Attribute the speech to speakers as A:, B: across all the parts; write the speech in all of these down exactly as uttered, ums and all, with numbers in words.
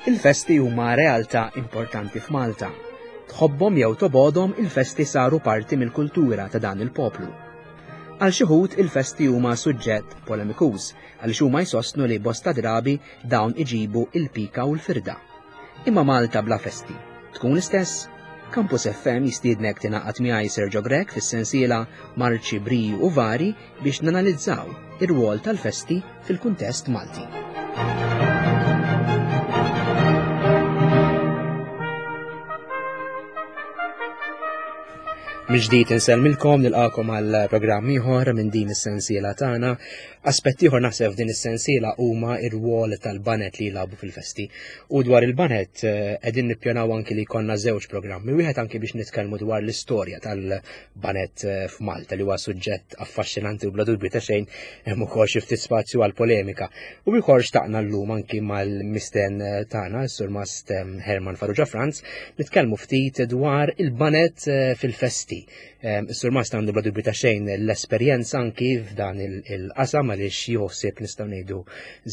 A: Il-festi huma realtà importanti f'Malta. Tħobbhom jew tobgħodhom, il-festi saru parti mill-kultura ta' dan il-poplu. Għal xi wħud il-festi huma suġġett polemikuż għaliex huma jsostnu li bosta drabi dawn iġibu il-pika u l-firda. Imma Malta bla festi tkun l-istess? Campus F M jistiednek tingħaqad miegħi, Sergio Grech, fis-sensiela Marċi, Briju u Vari biex nanalizzaw ir-rwol tal-festi fil-kuntest Malti. Mill-ġdid insellmilkom, nilqagħkom għal programm ieħor minn din is-sensiela tagħna. Aspett ieħor naħseb f'din is-sensiela huma ir-rwol tal-baned li jilagħbu fil-festi. U dwar il-baned eh, qegħdin nippjanaw anki li jkollna żewġ programmi, wieħed anki biex nitkellmu dwar l-istorja tal-baned eh, f'Malta, li huwa suġġett affaxxinanti u bla dubju ta' xejn hemm ukoll xi ftit spazju għal polemika. U ieħor xtaqna llum anki mal-mistieden eh, tagħna, s-Surmast Herman Farrugia Franz, nitkellmu ftit dwar il-baned fil-festi. Is-Surmast għandu bla dubju ta' xejn l-esperjenza anki f'dan il-qasam għaliex joħsib, nistgħu ngħidu,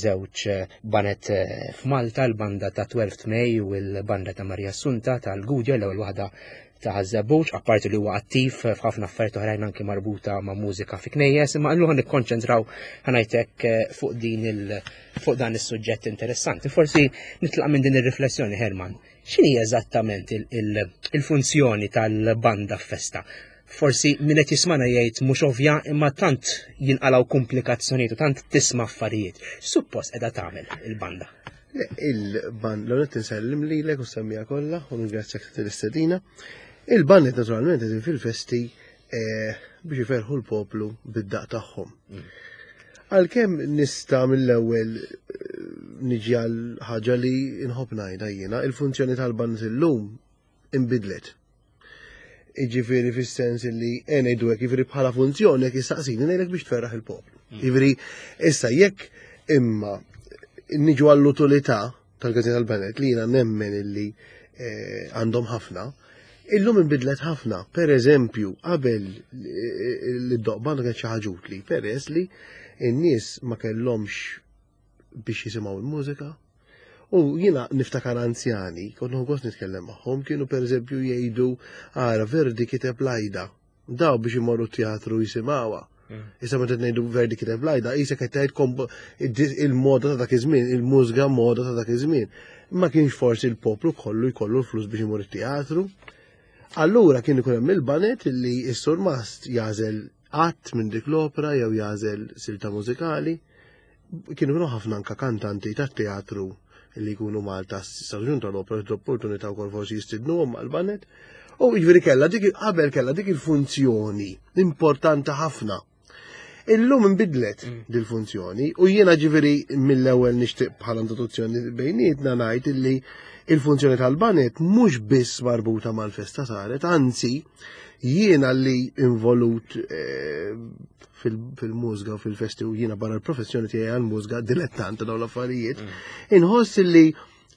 A: żewġ baned eh, f'Malta, l-banda ta' twelfth May u l-banda ta' Maria Assunta tal-Gudja, l-ewwel waħda ta' Ħaż-Żebbuġ, apparti li huwa attiv f'ħafna affarijiet oħrajn anki marbuta ma' mużika fi knejjes, imma illum nikkonċentraw, ħa ngħidlek, eh, fuq din il fuq dan is-suġġett interessanti. Forsi nitlaq minn din ir-riflessjoni, Herman. X'inhi eżattament il-funzjoni tal-banda f'festa? Forsi min qed jismana jgħid mhux ovvja, imma tant jinqalgħu komplikazzjonijiet u tant tisma' affarijiet. Suppost qiegħda tagħmel il-banda?
B: Il-band, l-għonet nsellim li l u semmija kollha u ngrazzjak tal-istedina. Il-band naturalment qegħdin fil-festi eh, biex iferħu l-poplu bid-daq tagħhom. Mm. Għalkemm nista' mill-ewwel eh, niġi għal ħaġa li nħobb ngħidha jiena, il-funzjoni tal-band illum imbidlet. Iġifieri fis-sens li ngħidu hekk, jiġifieri bħala funzjoni jekk jistaqsini ngħidlek biex tferraħ il-poplu. Mm. Jiġifieri issa jekk imma niġu għall-utilità tal-każin tal-baned li jiena nemmen illi eh, għandhom ħafna, illum inbidlet ħafna. Per eżempju, qabel l-doqq banda kien xi ħaġa utli, peress li n-nies ma kellhomx biex jisimgħu l-mużika. U jiena niftakar anzjani, kont gost nitkellem magħhom, kienu per eżempju jgħidu, "Ara, Verdi kiteb l-Aida. Daw biex imorru teatru jisimgħuha." Mm. Issa meta ngħidu Verdi kiteb l-Aida, issa qed tgħid il-moda ta' dak iż-żmien, il-mużika moda ta' dak iż-żmien. Ma kienx forsi il-poplu kollu jkollu l-flus biex imur it-teatru. Allura kien ikun hemm il-baned li s-surmast jagħżel att minn dik l-opera jew jagħżel silta mużikali. Kienu kienu ħafna anka kantanti tat-teatru li jkunu Malta staġun tal-opera, l-opportunità wkoll forsi jistidnuhom mal-baned. U jiġifieri kellha dik qabel kellha dik il-funzjoni importanti ħafna. Illum inbidlet mm. dil-funzjoni u jiena ġifieri mill-ewwel nixtieq bħala introduzzjoni bejnietna ngħid illi il-funzjoni tal-baned mhux biss marbuta mal-festa saret, anzi jiena li involut eh, fil-mużika u fil-festi u jiena barra l-professjoni tiegħi għal-mużika dilettant dawn l-affarijiet, mm. inħoss li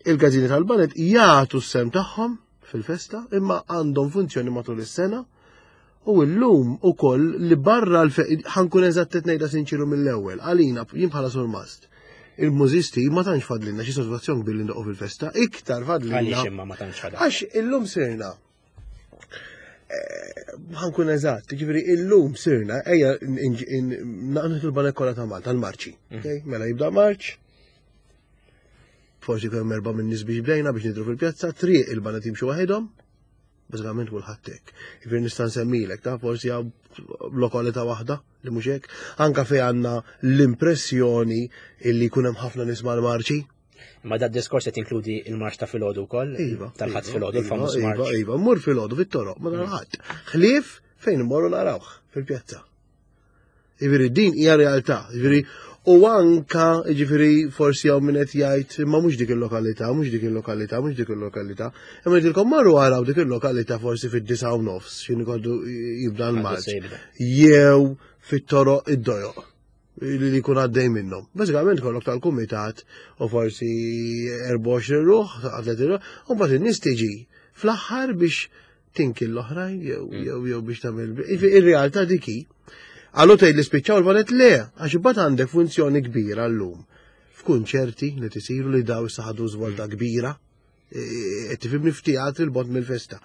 B: il-każini tal-baned jagħtu s-sehem tagħhom fil-festa imma għandhom funzjoni matul is-sena. U llum ukoll li barra ħa nkun eżatt, ngħidha sinċiru mill-ewwel, għalina jien bħala surmast, il-mużisti ma tantx fadlilna xi sodisfazzjon kbir li ndoqqu fil-festa, iktar fadlilna.
A: Għaliex imma ma tantx fadal?
B: Għax illum sirna eh, ħa nkun eżatt, ġifieri illum sirna, ejja naqnu il-baned kollha ta' Malta, l-marċi. Mm. Mela jibda marċ, forsi kemm erba' minn nies biex bdejna biex nidru fil-pjazza, triq il-baned jimxu waħedhom, bażikament kulħadd hekk. Jiġifieri nista' nsemmilek ta' forsi hawn lokalità waħda li mhux hekk, anka fejn għandna l-impressjoni illi jkun hemm ħafna nies mal-marċi.
A: Ma da diskors qed inkludi il-marċ ta' filgħodu wkoll?
B: Iva.
A: Tal-Ħadd
B: iva,
A: filgħodu,
B: iva,
A: il-famuż
B: iva,
A: marċ.
B: Iva, mur filgħodu fit-toroq, ma ħadd. Ħlief fejn immorru narawh fil-pjazza. Jiġifieri din hija realtà, jiġifieri u anka jiġifieri forsi hawn min qed jgħid imma mhux dik il-lokalità, mhux dik il-lokalità, mhux dik il-lokalità. Imma ngħidilkom marru araw dik il-lokalità forsi fid-disgħa u nofs, x'inhu jkollu jibda l-marċ. Jew fit-toroq id-dojoq li li jkun għaddej minnhom. Bażikament kollok tal-kumitat u forsi erbgħa u għoxrin ruħ, tletin ruħ, u mbagħad in-nies tiġi fl-aħħar biex tinki l-oħrajn jew jew jew biex tagħmel. Ir-realtà dik hi. Għallu tgħid li spiċċaw il-baned, le, għax imbagħad għandek funzjoni kbira llum. F'kunċerti li tisiru li daw issa ħadu żvolta kbira, qed tifhimni, f'teatri 'l bogħod mill-festa.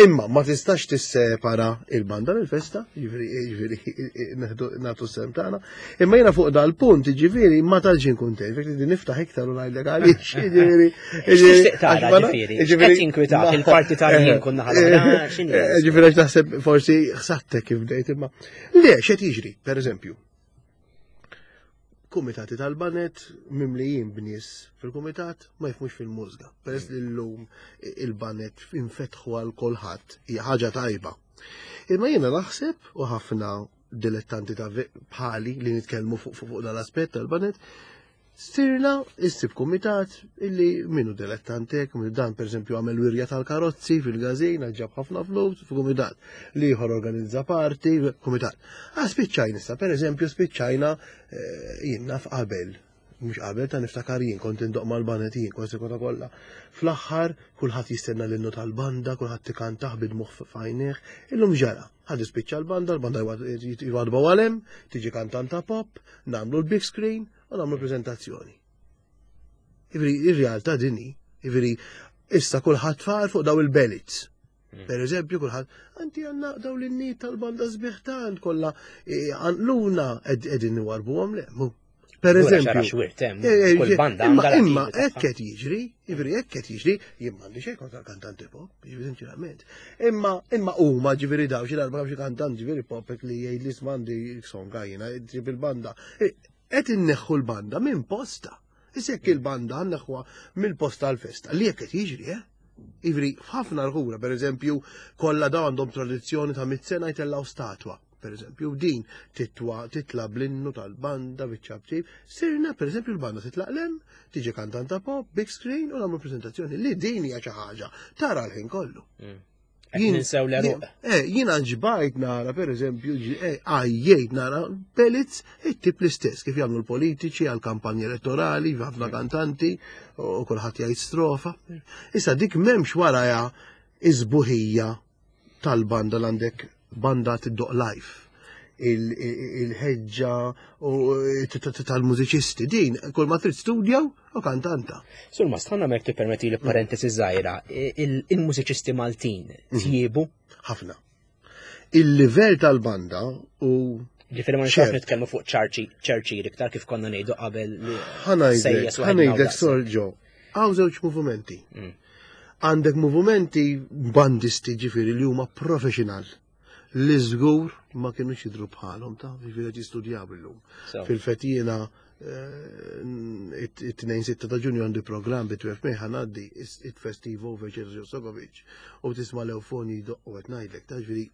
B: Imma ma tistax tissepara il-banda mill-festa, jiġifieri jiġifieri nagħtu s-sehem tagħna. Imma jiena fuq dal-punt, jiġifieri, ma tantx kuntent, fek li niftaħ iktar u ngħidlek għaliex, jiġifieri.
A: X'tixtieq tara, ġifieri? X'qed jinkwitak il-partitarji nkun naħa l-oħra, x'inhi?
B: Ġifieri għax naħseb forsi ħsadtek kif bdejt, imma. Le, x'qed jiġri, per eżempju, kumitati tal-baned mimlijin b'nies fil-kumitat ma jifhmux fil-mużika. Peress li l-lum il-baned infetħu għal kulħadd, hija ħaġa tajba. Imma jiena naħseb, u ħafna dilettanti ta' bħali li nitkellmu fuq fuq dal-aspett tal-baned, sirna issib kumitat illi minnu dilettantek, minn dan per eżempju għamel wirja tal-karozzi fil-gazin, ġab ħafna flus fil-kumitat, li ieħor organizza party, kumitat. Ah, spiċċajna issa, per eżempju, spiċċajna eh, jien naf qabel, mhux qabel ta' niftakar jien kont indoq mal-baned jien, kważi kota kollha. Fl-aħħar kulħadd jistenna l-innu tal-banda, kulħadd ikantah bid-dmugħ f'għajnejh, illum ġara. Ħad spiċċa l-banda, l-banda jwadba għalem, tiġi kantanta pop, nagħmlu l-big screen u nagħmlu prezentazzjoni. Ivri, ir-realtà dini, ivri, issa kulħadd far fuq daw il-ballads. Per eżempju, kulħadd, anti għandna daw l-innijiet tal-banda sbieħ tant, kollha għanluna qegħdin warbuhom le, mu. Per eżempju,
A: kull banda
B: imma imma hekk qed jiġri, jiġri hekk qed jiġri, jien m'għandi xejn kontra kantanti pop, jiġri sinċerament. Imma imma huma ġifieri daw xi darba xi kantant ġifieri pop hekk li jgħid li m'għandi songa jiena ġib il-banda. Qed inneħħu l-banda minn posta. Issa jekk il-banda nneħħuha mill-posta għal-festa, li jekk qed jiġri, eh? Ivri, f'ħafna rħura, per eżempju, kollha daw għandhom tradizzjoni ta' mit sena jtellaw statwa. Per eżempju, din titwa titla bl-innu tal-banda biċ-ċapċip. Sirna, per eżempju, l-banda titlaq lem, tiġi kantanta pop, big screen, u nagħmlu prezentazzjoni li din hija xi ħaġa tara l-ħin kollu.
A: Qed ninsew l-għeruq.
B: Eh, jiena ġbajt nara, per eżempju, eh, għajjejt nara ballads it-tip l-istess, kif jagħmlu l-politiċi għal kampanja elettorali, ħafna kantanti, u kulħadd jgħid strofa. Issa dik m'hemmx waraja iż-sbuħija tal-banda l għandek banda tiddoq live. Il-ħeġġa u tal-mużiċisti din, kull ma trid studjaw u kantanta.
A: Sur Mast, ħanna mek tippermetti li parentesi żgħira, il-mużiċisti Maltin tjiebu?
B: Ħafna. Il-livell tal-banda u
A: Ġifieri ma nistax nitkellmu fuq ċarċi ċerċir iktar kif konna ngħidu qabel li
B: Ħa ngħidlek,
A: sejjes
B: ħa
A: waħedna u
B: ngħidlek
A: daqs.
B: Sorġo, hawn żewġ movimenti.
A: Mm.
B: Għandek movimenti bandisti ġifieri li huma professional li żgur ma kienux jidru bħalhom ta' ġifieri qed jistudjaw illum.
A: So,
B: Fil-fatt jiena eh, it-tnejn sitta ta' Ġunju għandi program bi twelve May ħa ngħaddi it-festivo Veċer Sokovic u tisma' l-eufoni jdoqqu qed ngħidlek ta' ġifieri.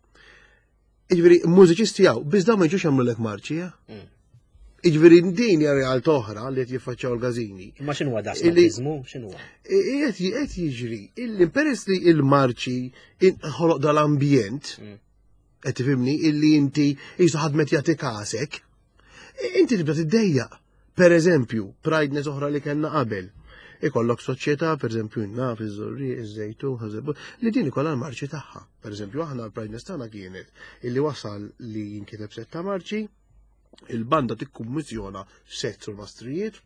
B: Ġifieri mużiċisti hawn, biss dawn ma jiġux jagħmlulek marċi, eh?
A: Mm.
B: Ġifieri din hija realtà oħra li qed jiffaċċjaw l-każini.
A: Imma x'inhuwa da
B: Illi-
A: snobizmu? X'inhuwa?
B: Qed qed jiġri illi peress li il-marċi ħoloq dal-ambjent,
A: Mm.
B: qed tifhimni, illi inti jisu ħadmet jagħti kasek, inti tibda tiddejjaq. Per eżempju, prideness oħra li kellna qabel. Ikollok soċjetà, per eżempju, naf iż-Żurrieq, iż-Żejtun, Ħaż-Żebbuġ, li din ikollha l-marċi tagħha. Per eżempju, aħna l-prideness tagħna kienet illi wasal li jinkiteb setta marċi, il-banda tikkummissjona sett sul mastrijiet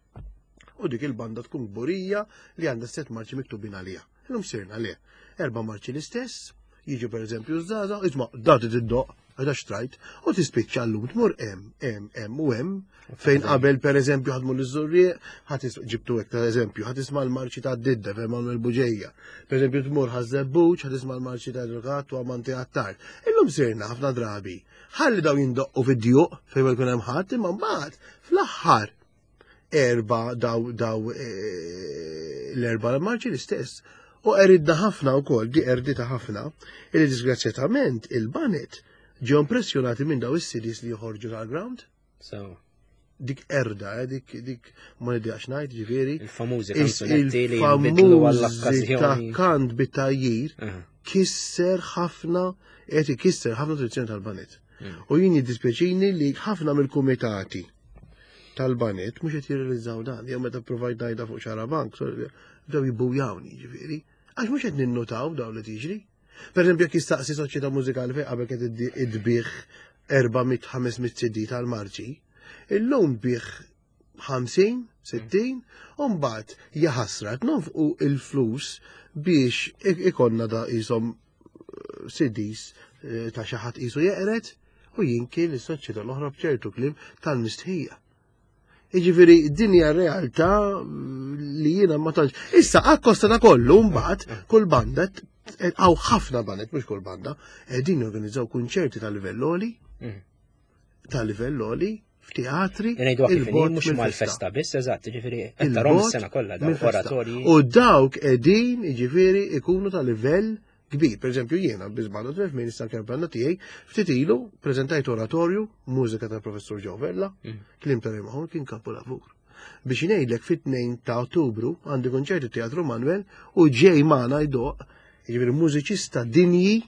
B: u dik il-banda tkun kburija li għandha set marċi miktubin għaliha. Illum sirna le. Erba' marċi l-istess, jiġu per eżempju żgħażagħ, isma' dati tiddoq, għada xtrajt, u tispiċċa llum tmur hemm, hemm, hemm u hemm, fejn qabel per eżempju ħadmu l-Żurrieq, ħadd ġibtu hekk ta' eżempju, ħadd isma' l-marċi ta' Didda fejn Manuel Buġeja. Per eżempju tmur Ħaż-Żebbuġ, ħadd isma' l-marċi ta' Edukat u Amanti Attard. Illum sirna ħafna drabi. Ħalli daw jindoqqu fid-djuq fejn ma jkun hemm ħadd, imma mbagħad fl-aħħar erba daw daw eh, l-erba marċi l-istess. U eridna ħafna u kol, di erdita ħafna, illi disgrazzjatament il-baned ġew impressjonati minn daw is-C Ds li joħorġu tal-ground.
A: So,
B: Dik erda, eh, dik dik ma nidjax ngħid ġifieri.
A: Il-famużi
B: Is-
A: kanzunetti li jinbidlu
B: Il-famużi ta'
A: għall-okkażjoni.
B: kant bit-tajjir
A: Aha.
B: kisser ħafna, qed ikisser ħafna tradizzjoni tal-baned.
A: Mm.
B: U jien jiddispjaċini li ħafna mill-kumitati tal-baned mhux qed jirrealizzaw dan. Jew meta provajt ngħidha fuq Xarabank, sorry, bdew jibbujawni ġifieri. Għax mhux qed ninnutaw dawn li tiġri. Per eżempju, jekk jistaqsi soċjetà mużikali fejn qabel kienet idbih erba' mitt ħames mitt C D tal-marċi, illum bih ħamsin sittin, u mbagħad jaħasra nonfqu il-flus biex ikonna da jisom eh, C Ds eh, ta' xi ħadd qisu jeqret u jinki l-soċjetà l-oħra b'ċertu kliem tal-mistħija. Jiġifieri din hija realtà li jiena ma tantx. Issa akkosta ta' kollu mbagħad kull banda, hawn ħafna baned, mhux kull banda, qegħdin jorganizzaw kunċerti ta' livell għoli, mm. ta' livell għoli f'teatri.
A: Ngħidu kif mhux mal-festa biss, eżatt, ġifieri qed tarahom is-sena kollha dawk oratorji.
B: U dawk qegħdin jiġifieri ikunu ta' livell kbir. Per eżempju, jiena biżbanda tref minn issa banda tiegħi ftit ilu preżentajt oratorju, mużika ta' professur Joe Vella, mm. kliem ta' Mahon, kien kapolavur. Biex ngħidlek, fit-tnejn ta' Ottubru għandi konċerti Teatru Manuel u ġej magħna jdoqq, jiġifieri, mużiċista dinji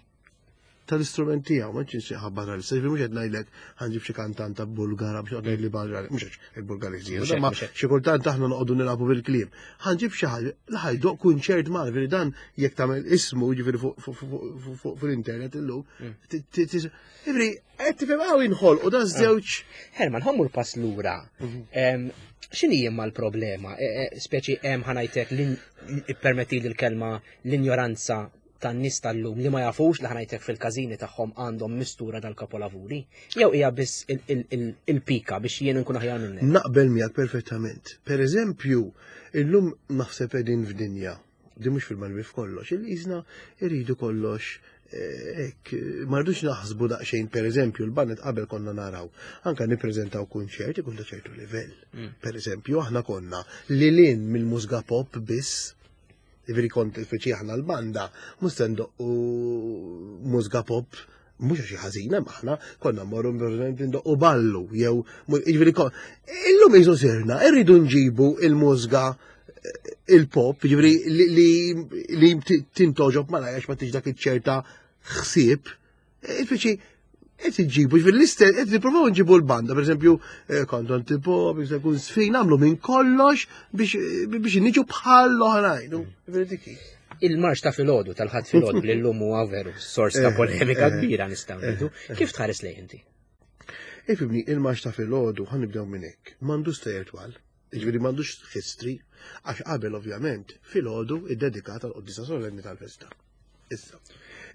B: tal-istrument tiegħu, ma ċinsi ħabbar għal jiġifieri mhux qed ngħidlek ħa nġib xi kantanta Bulgara biex ngħid li barra, mhux hekk il-Bulgariżi, ma xi kultant aħna noqogħdu nilagħbu bil-kliem. Ħa nġib xi ħaġa li ħa jdoqq kunċert ma' jiġifieri dan jekk tagħmel ismu, jiġifieri, fuq fil-internet illum. Mm. Jiġifieri qed tifhem hawn inħolqu da żewġ.
A: Herman, ħa mmur pass lura. Mhm. X'inhi imma l-problema? E, e, speċi hemm, ħa ngħidlek, permetti l-kelma, l-injoranza tan-nies tal-lum li ma jafux li, ħa ngħidlek, fil-każini tagħhom għandhom mistura dal-kapolavuri? Jew hija biss il-pika biex jien nkun aħjar minnek?
B: Naqbel miegħek perfettament. Per eżempju, illum naħseb qegħdin f'dinja, di mhux fil-malwi f'kollox, il-qisna irridu kollox hekk, ma rridux naħsbu daqsxejn. Per eżempju, l-baned qabel konna naraw, anka nippreżentaw kunċert ikun ta' ċertu livell. Mm. Per eżempju, aħna konna li lin mill-mużika pop biss. Ġifieri kont speċi aħna l-banda, mhux se ndoqqu mużika pop, mhux xi ħażina, aħna konna mmorru ndoqqu ballu, jew jiġifieri illum qisu sirna irridu nġibu il-mużika il-pop, ġifieri li li tintogħġob malajr, ma tiġ dak iċ-ċerta ħsieb, speċi qed iġibu, ġifieri l-istess qed nippruvaw nġibu l-banda, pereżempju, kantanti pop, jista' jkun sfin, nagħmlu minn kollox biex biex niġu bħal l-oħrajn. Ġifieri dik hi.
A: Il-marx ta' filgħodu, tal-Ħadd filgħodu, li llum huwa veru sors ta' polemika kbira, nistgħu ngħidu. Kif tħares lejn inti?
B: Ifhimni, il-marx ta' filgħodu, ħa nibdew minn hekk, m'għandux stejjer twal. Ġifieri m'għandux history, għax qabel ovvjament filgħodu iddedikat għal qoddisa solenni tal-festa. Issa,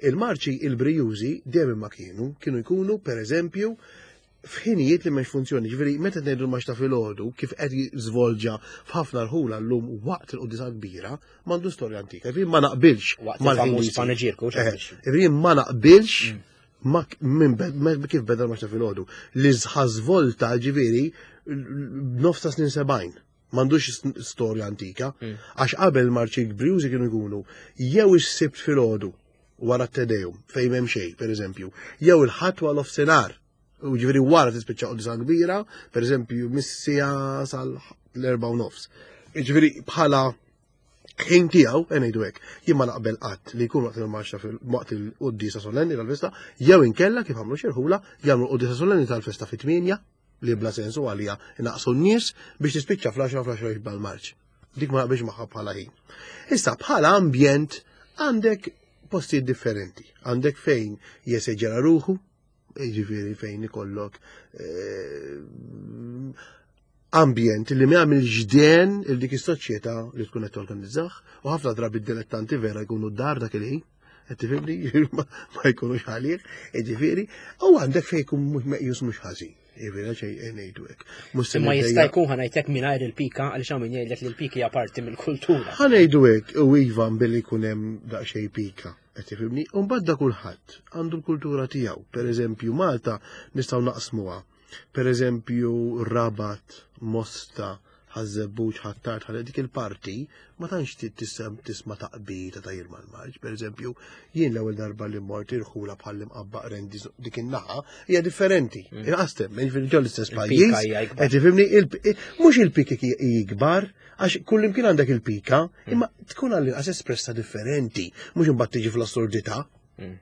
B: il-marċi il-brijużi dejjem ma kienu, kienu jkunu per eżempju f'ħinijiet li m'hemmx funzjoni, ġifieri meta ngħidu l-marx ta' filgħodu kif qed jiżvolġa f'ħafna rħula llum waqt il-qoddisa kbira, m'għandu storja antika. Ġifieri ma naqbilx
A: Waqt
B: mal-ħin
A: il-famuż
B: li jsir.
A: paneġirku.
B: Eh, Ġifieri ma naqbilx ma minn bed- ma- kif beda l-marx ta' filgħodu. Li żvolta, ġifieri, nofs ta' snin sebgħin. M'għandux storja antika,
A: Mm.
B: għax qabel marċi brijużi kienu jkunu jew is-Sibt filgħodu wara t-Te Deum, fejn m'hemm xejn, per eżempju, jew il-Ħadd wara nofsinhar. U ġifieri wara tispiċċa qoddisa kbira, per eżempju, mis-siegħa sal-erba u nofs. Ġifieri bħala ħin tiegħu, ngħidu hekk, jien ma naqbel qatt li jkun waqt il-marxa waqt il-qoddisa solenni tal-festa, jew inkella kif għamlu xi rħula, jagħmlu qoddisa solenni tal-festa fit-tmienja, li bla sensu għalija naqsu n-nies biex tispiċċa fl-għaxra, fl-għaxra jibda l-marċ. Dik ma naqbilx magħha bħala ħin. Issa bħala ambjent għandek postijiet differenti. Għandek fejn jeseġera ruħu, ġifieri fejn ikollok eh, ambjent li ma jagħmel ġden il dik is-soċjetà li tkun qed torganizzah, u ħafna drabi d-dilettanti vera jkunu d-dar dak il-ħin. Qed tifhimni? Ma ma jkunux għalih, ġifieri, u għandek fejn jkun mhux meqjus mhux ħażin. Ġifieri xejn ngħidu hekk. Mhux se
A: Imma jista'
B: nidejja-
A: jkun, ħa ngħidlek, mingħajr il-pika, għaliex hawn min jgħidlek li l-pika hija parti mill-kultura.
B: Ħa ngħidu hekk, u iva billi jkun hemm daqsxejn pika, qed tifhimni? U mbagħad da kulħadd għandu l-kultura tiegħu. Per eżempju, Malta nistgħu naqsmuha. Per eżempju, Rabat, Mosta, Ħaż-Żebbuġ, Ħ'Attard, ħalli dik il-parti ma tantx ti- tisem tisma' taqbita ta' jirma l-marċ. Per eżempju, jien l-ewwel darba li mort irħula bħal Imqabba, Qrendi, dik in-naħa hija differenti. Inqas temmen, ġifieri ġol l-istess
A: Il-pika
B: pajjiż.
A: hija ikbar.
B: Qed tifhimni, il- mhux il-piki ikbar, għax kullimkien għandek il-pika, imma tkun għall-inqas espressa differenti, mhux imbagħad tiġi fl-assurdità.
A: Mm.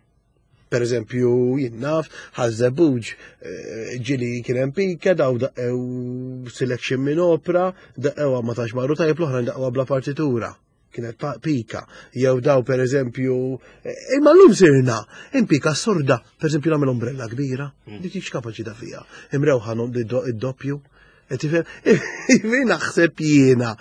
B: Per eżempju, jien naf, Ħaż-Żebbuġ, eh, ġieli kien hemm pika, daw daqqew selection minn opera, daqqew ma tax marru tajjeb, l-oħra daqqew bla partitura. Kienet pa- pika. Jew daw per eżempju, eh, imma llum sirna, impika assurda, per eżempju nagħmel ombrella kbira, dik hix kapaċi ta' fija. Imrewħa id-doppju. Qed tifhem? Ġifieri naħseb jiena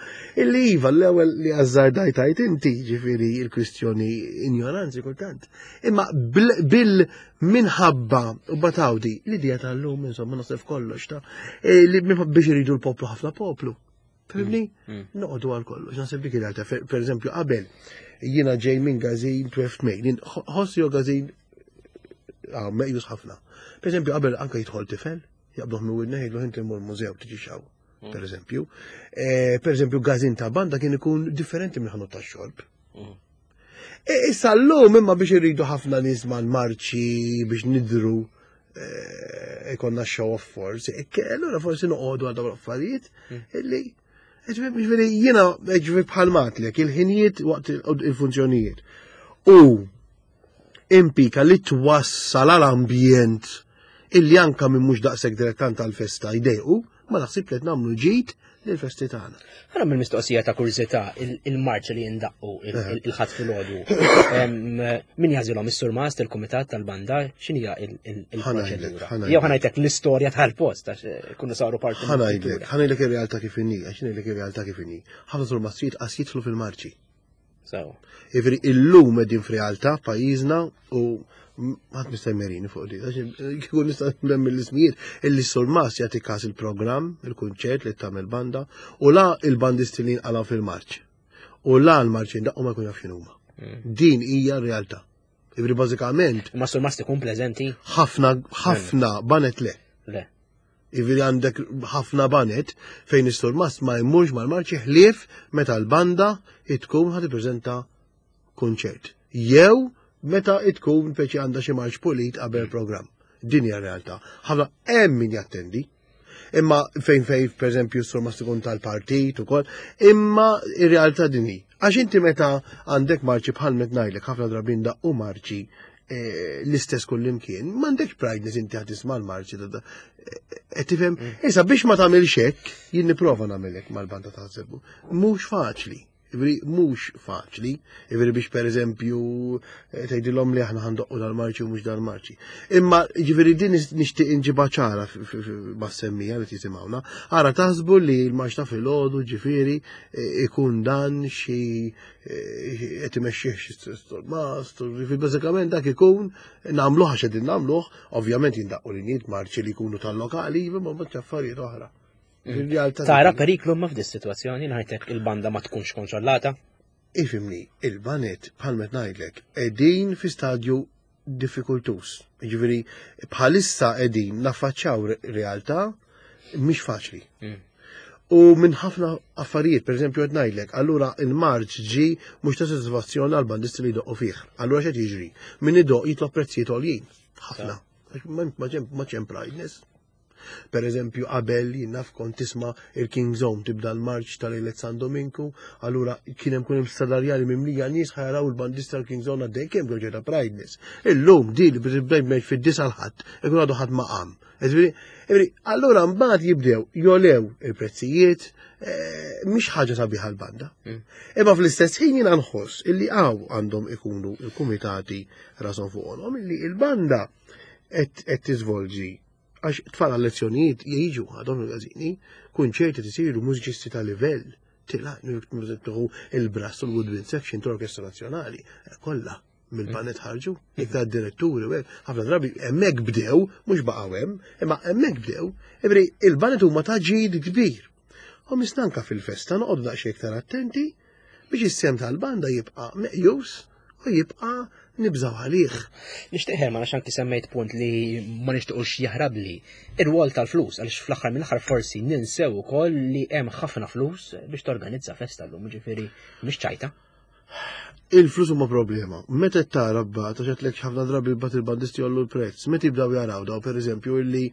B: illi iva l-ewwel li azzardajt għidt inti ġifieri il-kwistjoni ignoranzi kultant. Imma bil minħabba u batawdi l-idea tal-lum insomma naħseb kollox ta' e, li biex iridu l-poplu ħafna poplu. Fhimni? Mm, mm. Noqogħdu għal kollox. Naħseb dik il-realtà. Per eżempju, qabel jiena ġej minn gazin twelve May, ħossi jo gazin ah, meqjus ħafna. Per eżempju, qabel anke jidħol tifel, jaqbduh minn widna jgħidlu inti mur mużew tiġi xaw. Mm. Per eżempju. Eh, per eżempju, gazin ta' banda kien ikun differenti minn ħanut ta' xorb. Mm. E, issa l-lum imma biex irridu ħafna nies mal-marċi biex nidru eh, ikonna show of force, e, allura forsi noqogħdu għal dawn l-affarijiet mm. illi ġifieri jiena ġifieri bħal matlek il-ħinijiet waqt il-funzjonijiet. U impika li twassal għal-ambjent illi anka minn mhux daqshekk dilettant tal-festa jdejqu, ma naħsib li qed nagħmlu ġid lill-festi tagħna.
A: Ħa nagħmel mistoqsija ta' kurżità, il-marċ li jindaqqu il-Ħadd filgħodu. Min jagħżilhom is-surmast il-kumitat tal-banda, x'inhija il-proċedura? Jew ħa ngħidlek l-istorja tal-post għax kunu saru parti.
B: Ħa ngħidlek, ħa ngħidlek ir-realtà kif inhi, għax ngħidlek ir-realtà kif inhi. Ħafna surmastijiet qas jidħlu fil-marċi.
A: So.
B: Ġifieri illum qegħdin f'realtà pajjiżna u ħadd mista' jmerini fuq di, kieku nista' nsemmi l-ismijiet, illi surmas jagħti każ il-programm, il-kunċert li tagħmel banda, u la il-bandisti li nqalgħu fil-marċ. U la l-marċ jindaqqu ma jkun jaf x'inhuma. Mm. Din hija r-realtà. Ġifieri bażikament.
A: Ma surmast ikun preżenti?
B: Ħafna, ħafna banet le.
A: Le.
B: Ġifieri għandek ħafna banet fejn is-surmast ma jmurx mal-marċi ħlief meta l-banda tkun ħa tippreżenta kunċert. Jew meta tkun peċi għandha xi marċ pulit qabel programm. Din hija realtà. Ħafna hemm min jattendi. Imma fejn fejn pereżempju s-surmast ikun tal-partit ukoll, imma ir-realtà din hi. Għax inti meta għandek marċi bħal met ngħidlek ħafna drabi ndaqqu marċi eh, l-istess kullimkien, m'għandekx prideness inti ħad tisma' l-marċi ta' qed tifhem? Mm. Issa biex ma tagħmilx hekk, jien nipprova nagħmel hekk mal-banda ta' Żebbu. Mhux faċli. Ġifieri mhux faċli, ġifieri biex pereżempju eh, tgħidilhom li aħna ħa ndoqqu dal-marċi u mhux dal-marċi. Imma ġifieri din nixtieq inġibha ċara mas-semmija li tisimgħuna. Ara taħsbu li l-marċ ta' filgħodu ġifieri eh, ikun dan xi eh, qed imexxih xi surmast, ġifieri bażikament dak ikun nagħmluh għax qegħdin nagħmluh, ovvjament jindaqqu l-injiet marċi li jkunu tal-lokali, ma mbagħad affarijiet oħra.
A: Tara periklu ma f'dis situazzjoni ngħidlek il-banda ma tkunx kontrollata?
B: Ifhimni, il-banet bħal met ngħidlek qegħdin fi stadju diffikultus. Ġifieri bħalissa qegħdin naffaċċjaw realtà mhix faċli. Mm. U minn ħafna affarijiet, per eżempju qed ngħidlek, allura il-marċ ġi mhux ta' sodisfazzjon għal bandisti li jdoqqu fih. Allura x'qed jiġri? Min idoq jitlob prezzijiet għoljin. Ħafna. Ma ċem prideness. Per eżempju, qabel jien naf kont tisma' il-King Zone tibda l-marċ tal-Lejlet San Dominku, allura kien hemm kun hemm sadarjali mimlija nies ħajaraw il-bandista tal-King Zone għaddej kemm ġew ta' prideness. Illum din li btibda fid-disa l-ħadd, ikun għadu ħadd ma qam. Ġifieri, allura mbagħad jibdew jolew il-prezzijiet, eh, mhix ħaġa sabiħa l-banda. Mm. Imma fl-istess ħin jiena nħoss illi hawn għandhom ikunu il-kumitati rasom fuqhom illi il-banda qed tiżvolġi għax tfal għal lezzjonijiet jiġu għadhom il-gazini, kunċerti tisiru mużiċisti ta' livell, tila, il-brass u l-woodwind section tal-Orkestra Nazzjonali, kollha mill-banet ħarġu, iktar diretturi, u hekk, ħafna drabi hemmhekk bdew, mhux baqgħu hemm, imma hemmhekk bdew, ġifieri il-banet huma ta' ġid kbir. U mistanka fil-festa noqogħdu daqsxejn iktar attenti biex is-sem tal-banda jibqa' meqjus u jibqa' nibżaw għalih.
A: Nixtieq Herman għax anki semmejt punt li ma nixtiequx jaħrabli. Ir-rwol tal-flus għaliex fl-aħħar mill-aħħar forsi ninsew ukoll li hemm ħafna flus biex torganizza festa llum, ġifieri mhix ċajta.
B: Il-flus huma problema. Meta tara bat, għax għedtlek ħafna drabi bat il-bandisti jollu l-prezz, meta jibdaw jaraw daw pereżempju illi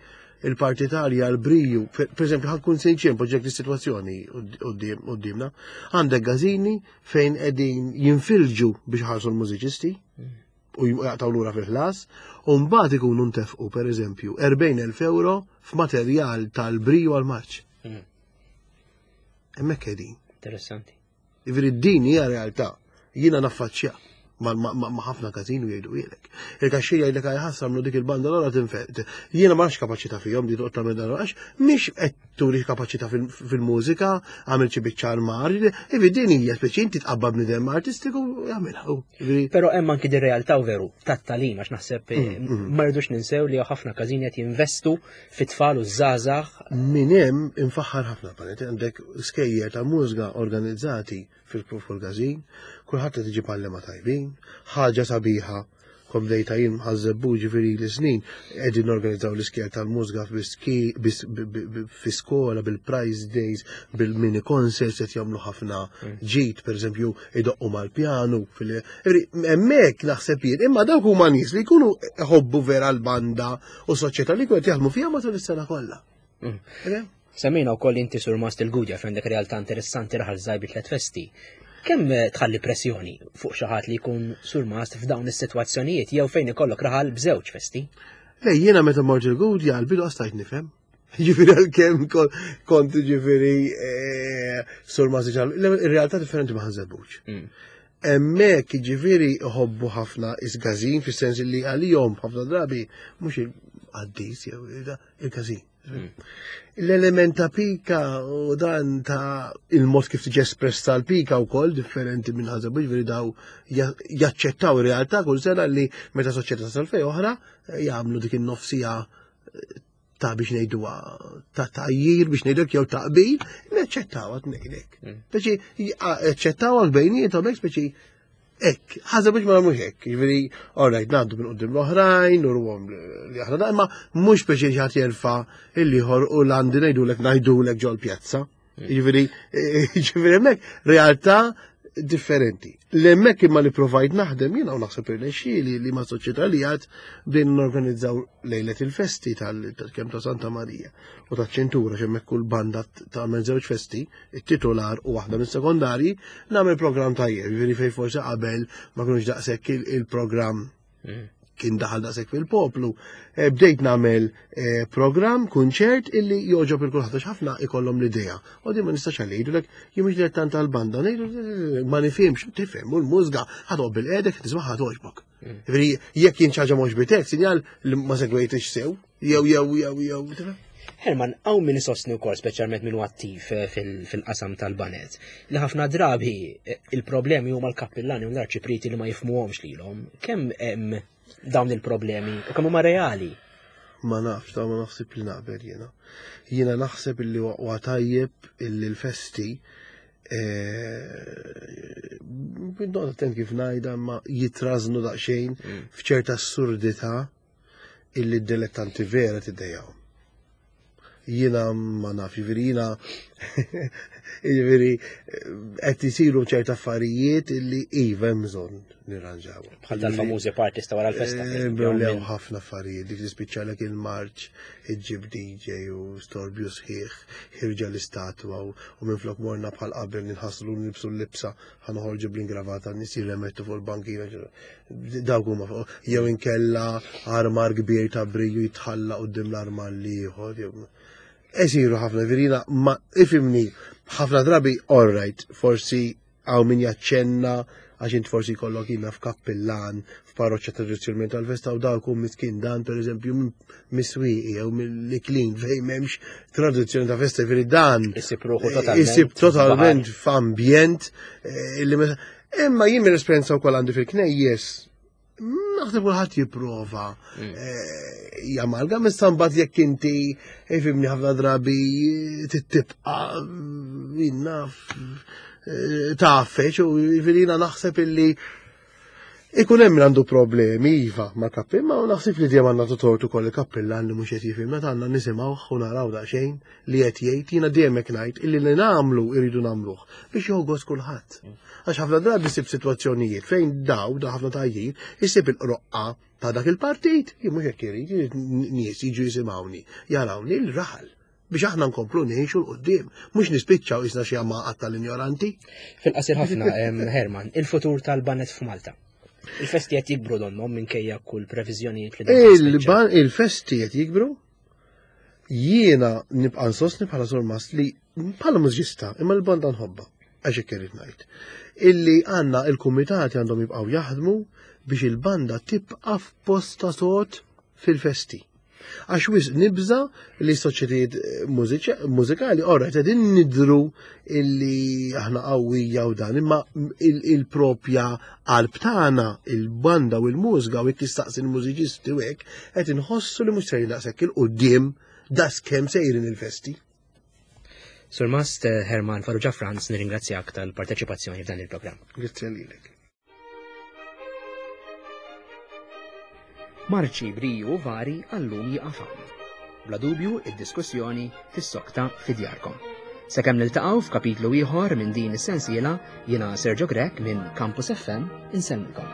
B: il-partitarja l-briju, per eżempju ħa nkun sinċier poġġek is-sitwazzjoni qudiemna, għandek gażini fejn qegħdin jinfilġu biex ħarsu l-mużiċisti u jaqtaw lura fil-ħlas, u mbagħad ikunu ntefqu pereżempju erbgħin elf euro f'materjal tal-briju għal-marċ.
A: Mm.
B: Hemmhekk qegħdin.
A: Interessanti.
B: Ġifieri din hija realtà. Jiena naffaċċja. Ma' ħafna każin u jgħidu jgħidlek. Il-kaxxir jgħidlek ħassa għamlu dik il-banda l tinfet. Jiena ma nafx kapaċità fihom di toqgħod tagħmel dan għax mhix qed turi kapaċità fil-mużika, għamel xi biċċa armar, ivi din hija speċi inti tqabba bniedem artistiku jagħmilha.
A: Però hemm anki di realtà veru tat-tagħlim għax naħseb eh, mm, mm. ma rridux ninsew li ħafna każini qed jinvestu fit-tfal u żgħażagħ.
B: Min hemm infaħħar ħafna panet għandek skejjer ta' mużika organizzati fil-każin, kulħadd qed iġib għallema tajbin, ħaġa sabiħa, kom dejta jien ħażebbu ġifieri li snin qegħdin norganizzaw l-iskejjer tal-mużika fi skola bil-prize days, bil-mini concerts qed jagħmlu ħafna mm. ġid, pereżempju idoqqu mal-pjanu. Hemmhekk naħseb jien, imma dawk huma nies li jkunu ħobbu vera l-banda u soċjetà li jkunu qed jaħdmu fiha matul is-sena kollha.
A: Mm. Semmejna wkoll inti surmast il-Gudja f'għandek realtà interessanti raħal żgħir bi tliet festi. Kemm tħalli pressjoni fuq xi ħadd li jkun surmast f'dawn is-sitwazzjonijiet jew fejn ikollok raħal b'żewġ festi?
B: Le, jiena meta mort il-Gudja għal-bidu stajt nifhem. Ġifieri għalkemm kont ġifieri eh, surmast ir-realtà differenti ma Ħaż-Żebbuġ. Mm. Hemmhekk ġifieri ħobbu ħafna is-każin fis-sens li għalihom ħafna drabi mhux il-qaddis jew il-każin. Mm. L-element ta' pika u dan ta' il-mod kif tiġi espressa l-pika u koll differenti minn ħaża ġifieri daw jaċċettaw ir-realtà kull sena li meta soċjetà tasal fej oħra jagħmlu dik in-nofsija ta' biex ngħidu ta' tajjir biex ngħidlek jew ta' qbil, naċċettaw għad ngħidlek. Mm. Speċi aċċettaw għal bejniethom hekk speċi hekk, ħaża biex ma nagħmlux hekk. Jiġifieri, all right, ngħaddu minn quddiem l-oħrajn, nurhom li aħna da, imma mhux biex xi ħadd jerfa' il-ieħor u l-għandi ngħidulek ngħidulek ġol pjazza. Mm. Jiġifieri, jiġifieri hemmhekk realtà differenti. L-hemmhekk imma li provajt naħdem jiena u naħseb irnexxieli li ma' soċjetà li għad bdejna norganizzaw lejlet il-festi tal-kemm ta' Santa Marija u ta' ċentura x'hemmhekk kull banda tagħmel żewġ festi, it-titular u waħda mis-sekondarji, nagħmel programm tajjeb, jiġifieri fejn forsi qabel ma kinux daqshekk il-programm mm. kien daħal daqshekk fil-poplu. Eh, bdejt nagħmel eh, programm, kunċert illi joġob il kulħadd għax ħafna ikollhom l-idea. U din ma nistax għalidulek, jien mhux dilettant tal-banda, ngħidu ma nifhimx, tifhem, u l-mużika ħa bil-qedek tisma' ħa toġbok. Mm. Ġifieri jekk jien ħaġa mhux bitek, sinjal li ma segwejtix sew, jew jew jew jew. tifhem?
A: Herman, hawn min isostni wkoll speċjalment min attiv eh, fil-qasam tal-baned, li ħafna drabi eh, il-problemi huma l-kappillani u l-arċipriti li ma jifmuhomx lilhom. Kemm hemm dawn il-problemi u kemm huma reali?
B: Ma nafx, ta' ma naħseb li naqbel jiena. Jiena naħseb illi huwa tajjeb illi l-festi eh, noqgħod attent kif ngħidha ma jitrażnu daqsxejn mm. f'ċerta assurdità illi d-dilettanti vera tiddejjaw. Jiena ma naf, jiġifieri jiena jiġifieri qed isiru ċerta affarijiet illi iva hemm bżonn nirranġaw.
A: Bħal dal-famużi parties ta' wara l-festa.
B: Eh, Lew ħafna affarijiet, dik tispiċċalek il-marċ, iġġib D J u storbju sħiħ, ħirġa l-istatwa u u minflok morna bħal qabel ninħaslu nilbsu l-libsa ħa noħorġu bl-ingravata nies jirremettu fuq il-bankina. Dawk huma fuq jew inkella armar kbir ta' briju jitħalla quddiem l-armar l-ieħor. jew- Esiru ħafna virina, ma ifimni, ħafna drabi, all right, forsi hawn min jaċċenna għax int forsi kollok jina f'kappillan, f'parroċċa tradizzjonalment tal-festa u dawk hu miskin dan per eżempju miswiqi jew mill-Iklin fejn m'hemmx tradizzjoni ta' festa ġifieri dan
A: Isib ruħu totalment.
B: Isib totalment f'ambjent eh, illi meta- Imma jien mill-esperjenza wkoll għandi fil-knejjes naħseb kulħadd jipprova
A: Mm.
B: eh, jamalga issa mbagħad jekk inti ifimni ħafna drabi tibqa' jien naf tafeċ u jiġifieri jiena naħseb illi ikun hemm min għandu problemi iva ma' kappillan, ma naħseb li dejjem għandna tortu koll il-kappillan li mhux qed jifhimna għandna nisimgħuh u naraw daqsxejn li qed jgħid jiena dejjem hekk ngħid illi li nagħmlu irridu nagħmluh biex joħgos kulħadd. Għax ħafna drabi ssib sitwazzjonijiet fejn daw da ħafna tajjir isib il-qroqqa ta' dak il-partit, jien mhux hekk irid, irid nies jiġu jisimgħuni, jarawni l-raħal biex aħna nkomplu ngħixu 'l quddiem, mhux nispiċċaw isna xi għamaqat tal-ignoranti.
A: Fil-qasir ħafna, em, Herman, il-futur tal-baned f'Malta. Il-festi qed jikbru donnhom minkejja kull previżjonijiet li dan tispiċċa.
B: Il-ban il-festi qed jikbru. Jiena nibqa' nsostni bħala surmast li bħala mużġista, imma l-banda nħobba. Għax hekk irrid ngħid. Illi għandna il-kumitati għandhom jibqgħu jaħdmu biex il-banda tibqa' f'posta sod fil-festi. Għax wisq nibża li soċjetajiet mużikali ora qegħdin nidru illi aħna qawwija u dan, imma il-propja qalb tagħna, il-banda u l-mużika u jekk tistaqsi l-mużiċisti u hekk qed inħossu li mhux sejrin daqshekk 'il quddiem daqskemm sejrin il-festi.
A: Surmast Herman Farrugia Franz, nirringrazzjak tal-parteċipazzjoni f'dan il-programm.
B: Grazie lilek.
A: Marċi briju vari għallum jieqaf hawn. Bla dubju id-diskussjoni fis-sokta fi djarkom. Sakemm niltaqgħu f'kapitlu ieħor minn din is-sensiela, jiena Sergio Grech minn Campus F M insellmilkom.